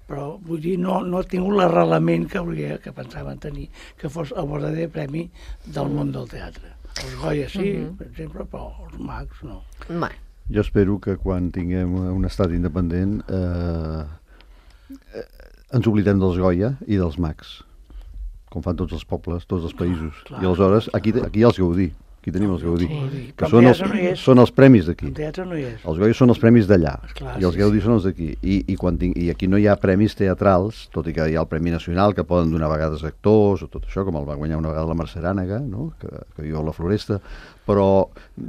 Però, vull dir, no, no ha tingut l'arrelament que, hauria, que pensaven tenir, que fos el verdader premi del món del teatre. Els Goya sí, uh-huh. per exemple, però els Mags no. Mai. Jo espero que quan tinguem un estat independent eh, eh, ens oblidem dels Goya i dels Mags, com fan tots els pobles, tots els països. Clar, clar. I aleshores aquí, aquí hi ha els Gaudí, aquí tenim els Gaudí, sí. que són els, no són els premis d'aquí. El teatre no hi és. Els Goya són els premis d'allà, clar, i els sí, Gaudí sí. són els d'aquí. I, i, quan tinc, I aquí no hi ha premis teatrals, tot i que hi ha el Premi Nacional, que poden donar a vegades actors, o tot això, com el va guanyar una vegada la Mercè Arànega, no? que, que viu a la Floresta, però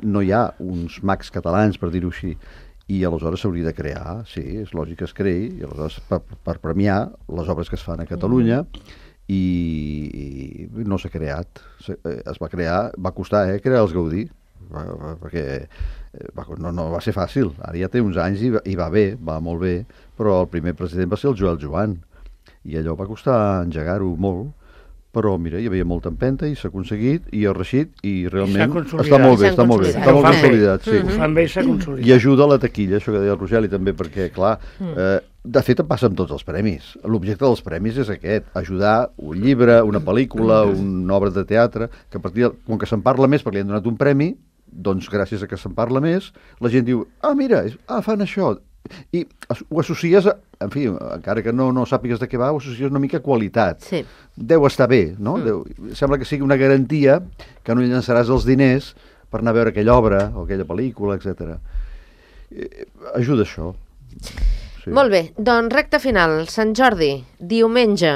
no hi ha uns mags catalans, per dir-ho així. I aleshores s'hauria de crear, sí, és lògic que es creï, i aleshores per, per premiar les obres que es fan a Catalunya, mm. i no s'ha creat. Es va crear, va costar, eh, crear els Gaudí. perquè no, no va ser fàcil. Ara ja té uns anys i va, i va bé, va molt bé, però el primer president va ser el Joel Joan, i allò va costar engegar-ho molt, però mira, hi havia molta empenta i s'ha aconseguit i ha reixit i realment està molt bé, està molt bé, està molt consolidat, sí. Ho fan bé i s'ha consolidat. I ajuda a la taquilla, això que deia el Rogeli també, perquè, clar, eh, de fet em passa amb tots els premis. L'objecte dels premis és aquest, ajudar un llibre, una pel·lícula, una obra de teatre, que a partir de, com que se'n parla més perquè li han donat un premi, doncs gràcies a que se'n parla més, la gent diu, ah, mira, ah, fan això, i ho associes, a, en fi, encara que no, no sàpigues de què va, ho associes una mica a qualitat. Sí. Deu estar bé, no? Mm. Deu, sembla que sigui una garantia que no llançaràs els diners per anar a veure aquella obra o aquella pel·lícula, etcètera. Eh, ajuda això. Sí. Molt bé, doncs recta final, Sant Jordi, diumenge.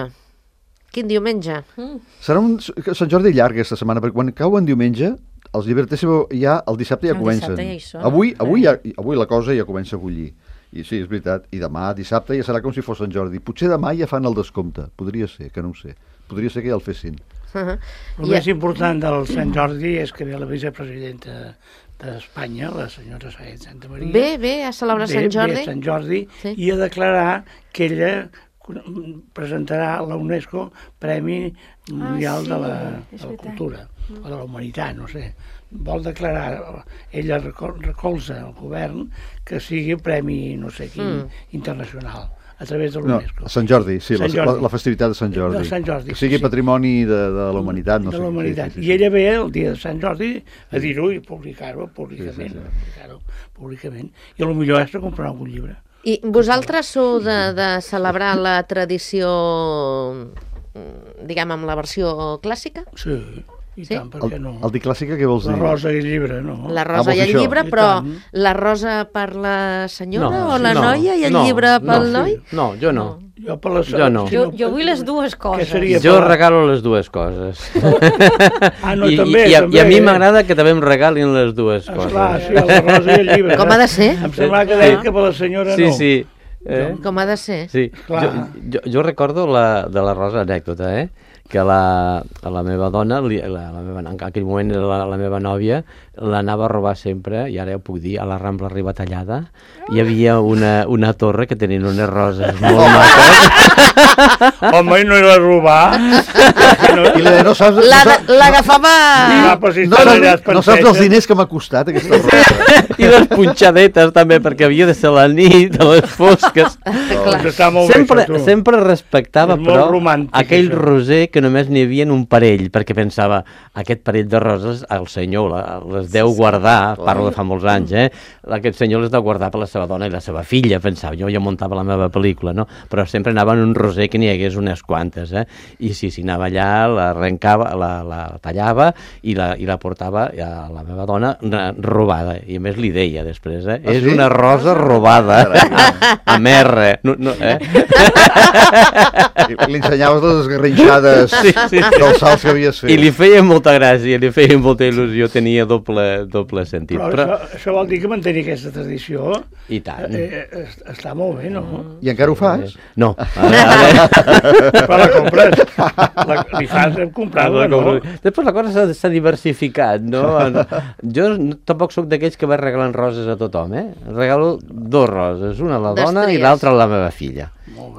Quin diumenge? Mm. Serà un Sant Jordi llarg aquesta setmana, perquè quan cau en diumenge, els llibreters ja el dissabte ja el comencen. Dissabte ja hi són. Avui, avui, ja, avui la cosa ja comença a bullir. I sí, és veritat. I demà, dissabte, ja serà com si fos Sant Jordi. Potser demà ja fan el descompte. Podria ser, que no ho sé. Podria ser que ja el fessin. Uh-huh. El més important del Sant Jordi és que ve la vicepresidenta d'Espanya, la senyora Sáenz de Santamaría. Bé, bé, a celebrar Sant Jordi. Ve Sant Jordi sí. I a declarar que ella presentarà a la UNESCO Premi Mundial ah, sí, de, la, de la Cultura, mm. o de la Humanitat, no sé. Vol declarar, ella recolza el govern que sigui premi, no sé quin, mm. internacional, a través de l'UNESCO. No, Sant Jordi, sí, Sant Jordi. La, la festivitat de Sant Jordi. De Sant Jordi. Que sigui sí. patrimoni de, de la humanitat, no de sé. La humanitat. Sí, sí, sí. I ella ve el dia de Sant Jordi a dir-ho i publicar-ho públicament. Sí, sí, sí. Publicar-ho públicament. I a lo millor és de comprar algun llibre. I vosaltres sou de, de celebrar la tradició, diguem, amb la versió clàssica? Sí. I sí? tant, per què no? El, el dir clàssica, què vols dir? La rosa i el llibre, no? La rosa ah, i el això? llibre, però la rosa per la senyora no, o la no, noia i el no, llibre pel no, noi? No, jo no. no. Jo, per la... jo no. Jo, jo vull les dues coses. Jo per... regalo les dues coses. Ah, no, I, també, i, i, també. I a mi m'agrada que també em regalin les dues coses. Esclar, sí, la rosa i el llibre. Com ha de ser? Em sembla que deia que per la senyora sí, no. Sí, sí. Eh? Com ha de ser? Sí. Jo, jo, jo recordo la, de la rosa anècdota, eh? que la, la meva dona, la, la meva, en aquell moment la, la meva nòvia, l'anava a robar sempre, i ara ja ho puc dir, a la Rambla Ribatallada. Hi havia una, una torre que tenien unes roses molt maques. Home, no era robar. No, I la, no saps... L'agafava... No, no, saps, no saps els diners que m'ha costat aquesta rosa. I les punxadetes també, perquè havia de ser la nit, a les fosques. No, sempre, bé, sempre respectava, però, romàntic, aquell això. roser que només n'hi havia un parell, perquè pensava, aquest parell de roses el senyor la, les deu guardar, parlo de fa molts anys, eh? Aquest senyor les deu guardar per la seva dona i la seva filla, pensava, jo ja muntava la meva pel·lícula, no? Però sempre anava en un roser que n'hi hagués unes quantes, eh? I sí, sí, anava allà, l'arrencava, la, la tallava i la, i la portava a la meva dona robada, i a més li deia després, eh? Ah, és sí? Una rosa robada, amb R, no, no, eh? Li ensenyaves les esgarrinxades sí, sí, sí. dels salts que havies fet. I li feia molta gràcia, li feia molta il·lusió, tenia doble, doble sentit. Però, però... Això, això vol dir que mantenir aquesta tradició i tant. Eh, eh, està molt bé, no? I encara ho fas? No. Però la compres. La, li fas comprar-la, no? Després la cosa s'ha diversificat, no? Jo tampoc sóc d'aquells que va regalant roses a tothom, eh? Regalo dos roses, una a la dona i l'altra a la meva filla.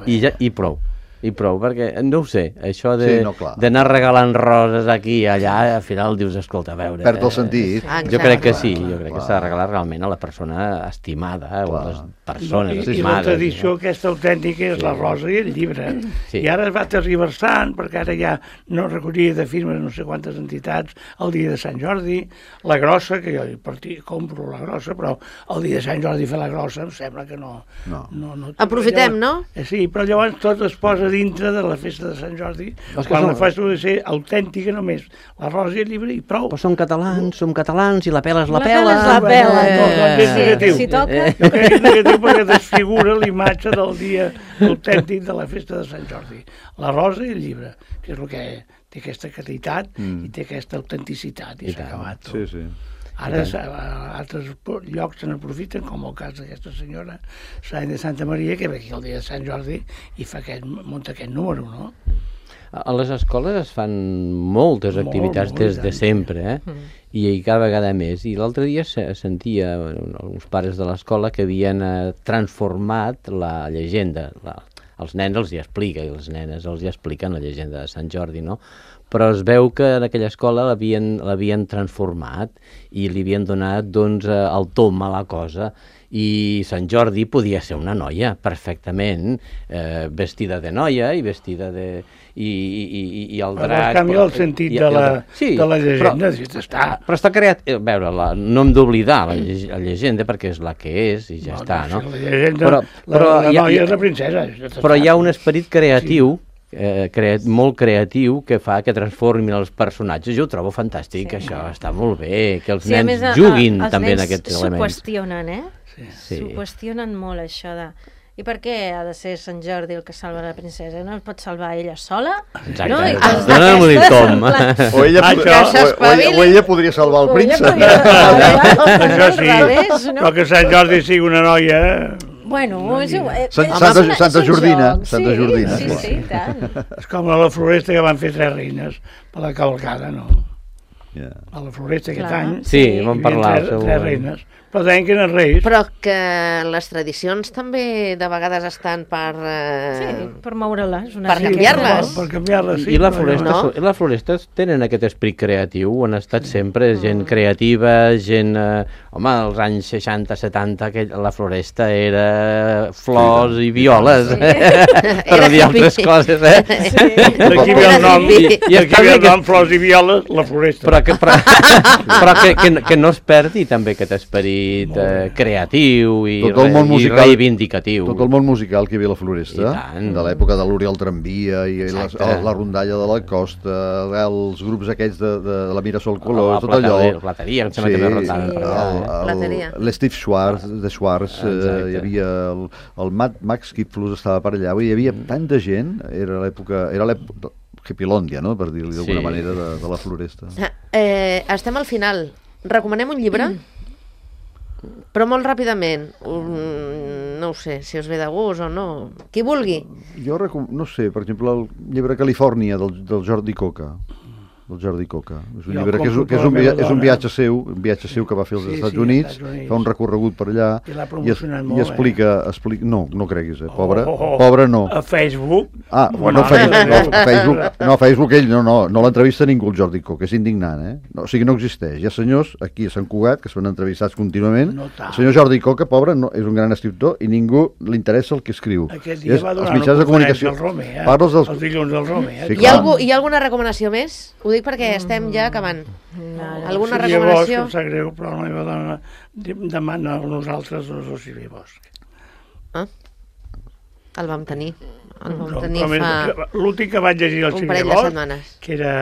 I, ja, i prou. I prou, perquè, no ho sé, això d'anar sí, no, regalant roses aquí i allà, al final dius, escolta, a veure... Perd el sentit. Eh, jo crec que sí, jo crec que s'ha de regalar realment a la persona estimada, eh, o a les persones I, estimades. I la tradició no? Aquesta autèntica és sí. La rosa i el llibre. Sí. I ara es va tergiversant, perquè ara ja no recollia de firmes no sé quantes entitats, el dia de Sant Jordi, la grossa, que jo partir, compro la grossa, però el dia de Sant Jordi fer la grossa em sembla que no... no. no, no Aprofitem, llavors, no? Eh, sí, però llavors tot es posa dintre de la festa de Sant Jordi, quan som... la festa ha de ser autèntica només, la rosa i el llibre i prou. Però som catalans, som catalans, i la pela és la, la pela. La pela és la pela. No, doncs és negatiu. Si toca... Jo crec que és negatiu perquè desfigura l'imatge del dia autèntic de la festa de Sant Jordi. La rosa i el llibre, que és el que té aquesta qualitat mm. i té aquesta autenticitat, i, I s'ha acabat tot. Sí, sí. Ara a altres llocs se n'aprofiten, com el cas d'aquesta senyora Sáenz de Santamaría, que ve aquí el dia de Sant Jordi i fa aquest, munta aquest número, no? A les escoles es fan moltes Molt, activitats molt, des i de tant. sempre, eh? Mm. I, i cada vegada més. I l'altre dia se sentia bueno, alguns pares de l'escola que havien eh, transformat la llegenda. La, els nens els hi explica i les nenes els hi expliquen la llegenda de Sant Jordi, no? Però es veu que en aquella escola l'havien l'havien transformat i li havien donat doncs, eh, el tom a la cosa. I Sant Jordi podia ser una noia, perfectament, eh, vestida de noia i vestida de... i, i, i, i el Però drac... canvia el sentit i- de i la, el- sí, de la llegenda, però, si està... però està creat... A veure, la, no hem d'oblidar la, lle la llegenda perquè és la que és i ja No, està, no? si la llegenda, Però, la, però, la hi ha, noia és la princesa. Ja però hi ha un esperit creatiu, eh, creat, molt creatiu, que fa que transformin els personatges. Jo ho trobo fantàstic, Sí. això està molt bé, que els Sí, a nens més, a- juguin a- els també en nens aquests s'ho elements. qüestionen, eh? Sí. Sí. S'ho qüestionen molt, això de... I per què ha de ser Sant Jordi el que salva la princesa? No es pot salvar ella sola? Exacte. No? I Ah, coses dóna'm un d'aquestes, tom. en plan- O ella, Ah, podria, això- o, o, ella, o ella podria salvar el O ella príncep. podria salvar- Això al sí, revés, no? però que Sant Jordi sigui una noia... Bueno, és igual. eh, Sant- és Santa- una- Santa és un Jordina, joc, Santa sí, Jordina. Sí, sí, i tant. És com a la floresta que van fer tres reines per la cavalcada, no? Yeah. A la floresta aquest Clar. any Sí, Sí. vam hi havia parlar. tres, segur. tres reines. Però deien que eren reis. Però que les tradicions també de vegades estan per... Eh... Sí, per moure-les. una Per miqueta. canviar-les. Per, per canviar-les, sí. I la però floresta, no. no? la floresta tenen aquest esperit creatiu, han estat sempre gent creativa, gent... Eh, home, als anys seixanta setanta que la floresta era flors i violes, Sí. eh? per Era dir altres hippie. coses, eh? Sí. D'aquí ve el nom, I- i d'aquí està ve bé el que- nom flors i violes, la floresta. Però, que, però, però que, que, que no es perdi també aquest esperit eh, creatiu i, Tot el món i musical- reivindicatiu. Tot el món musical que hi havia a la Floresta, I tant. de l'època de l'Oriol Tramvia i la, Exacte. la rondalla de la Costa, els grups aquests de, de, de la Mirasol La Colors, tot allò. plateria- la plateria, em sembla que també rondaven per allà, eh? el- Plateria. el- L'Steve Schwartz, de Schwartz, eh, Exacte. hi havia el, el Matt, Max Kipflus estava per allà, vull dir, hi havia tanta gent, era l'època, era l'època Hippilòndia, no?, per dir-li d'alguna Sí. manera, de, de la Floresta. Eh, estem al final. Recomanem un llibre? Però molt ràpidament. Um, no ho sé, si us ve de gust o no. Qui vulgui. Jo, recom... no sé, per exemple, el llibre Califòrnia del, del Jordi Coca, del Jordi Coca. És un Jo llibre que és, compro que és, per un, la via... meva és un dona. viatge seu, un viatge seu que va fer als Sí, Estats sí, Units, Estats Units. fa un recorregut per allà I l'ha i, es, promocionat i molt, explica, explica... No, no creguis, eh? Pobre, Oh, oh, oh. pobre no. A Facebook. Ah, bueno, Facebook, no, Facebook, no, Facebook ell no, no, no l'entrevista ningú el Jordi Coca, és indignant, eh? No, o sigui, no existeix. Hi ha senyors aquí a Sant Cugat que es fan entrevistats contínuament. No tant. El senyor Jordi Coca, pobre, no, és un gran escriptor i ningú li interessa el que escriu. Aquest dia És va els donar una mitjans de conferència comunicació. al Romer, eh? Parles dels... Els dilluns del Romer. Eh? Sí, Hi ha, clar. algú, hi ha alguna recomanació més? Ho dic perquè estem ja acabant. Alguna Sílvia recomanació? Bosch, em sap greu, però la meva dona de- demana a nosaltres no és el Sílvia Bosch. Ah? El vam tenir. El vam No, tenir com és- fa L'últim que vaig llegir el un Sílvia parell de Bosch, setmanes. que era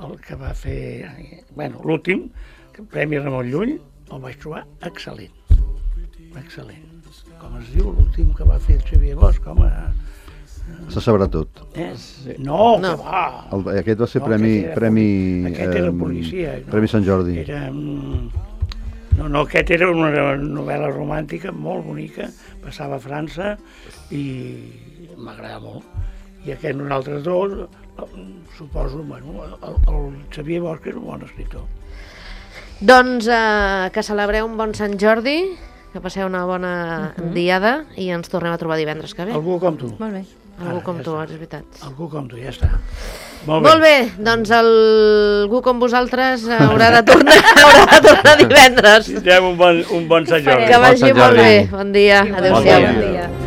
el que va fer... Bueno, l'últim, que Premi Ramon Llull, el vaig trobar excel·lent. Excel·lent. Com es diu l'últim que va fer el Sílvia Bosch, com a... Se sabrà tot. Eh? No, No. que va! El, aquest va ser No, premi... aquest era premi poli- aquest era em, policia, no? Premi Sant Jordi. Era... mm, No, no, aquest era una novel·la romàntica molt bonica, passava a França i m'agrada molt. I aquest nosaltres dos, suposo, bueno, el, el Xavier Bosch és un bon escriptor. Doncs eh, que celebreu un bon Sant Jordi, que passeu una bona diada i ens tornem a trobar divendres que ve. Algú com tu. Molt bé. Algú Ara, com ja tu, està. és veritat. Algú com tu, ja està. Molt bé. Molt bé, doncs algú com vosaltres haurà de tornar, haurà de tornar divendres. Tindrem un bon, un bon Sant Jordi. Que vagi Sant molt Jordi. bé. Bon dia. Igual. Adéu-siau. Bon Bon dia. dia.